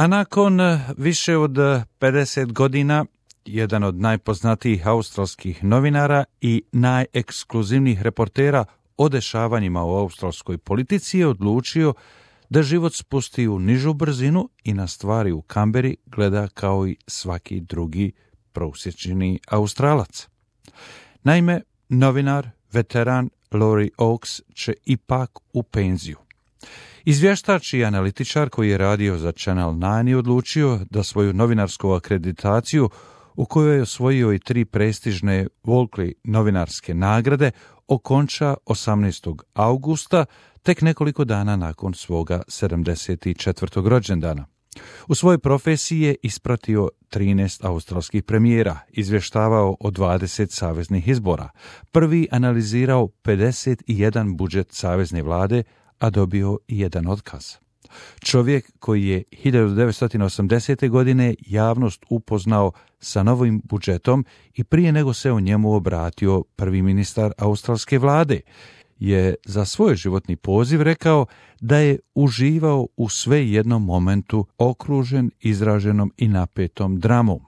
A nakon više od 50 godina, jedan od najpoznatijih australskih novinara i najekskluzivnijih reportera o dešavanjima u australskoj politici je odlučio da život spusti u nižu brzinu i na stvari u Kamberi gleda kao i svaki drugi prosječni Australac. Naime, novinar, veteran Laurie Oakes će ipak u penziju. Izvještač i analitičar koji je radio za Channel 9 je odlučio da svoju novinarsku akreditaciju, u kojoj je osvojio i 3 prestižne Walkley novinarske nagrade, okonča 18. augusta, tek nekoliko dana nakon svoga 74. rođendana. U svojoj profesiji je ispratio 13 australskih premijera, izvještavao o 20 saveznih izbora, prvi analizirao 51 budžet savezne vlade, a dobio i jedan otkaz. Čovjek koji je 1980. godine javnost upoznao sa novim budžetom i prije nego se o njemu obratio prvi ministar australske vlade, je za svoj životni poziv rekao da je uživao u sve jednom momentu okružen izraženom i napetom dramom.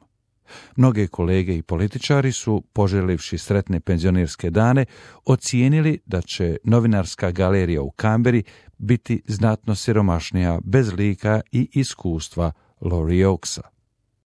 Mnoge kolege i političari su, poželivši sretne penzionerske dane, ocijenili da će novinarska galerija u Kamberi biti znatno siromašnija bez lika i iskustva Laurie Oakesa.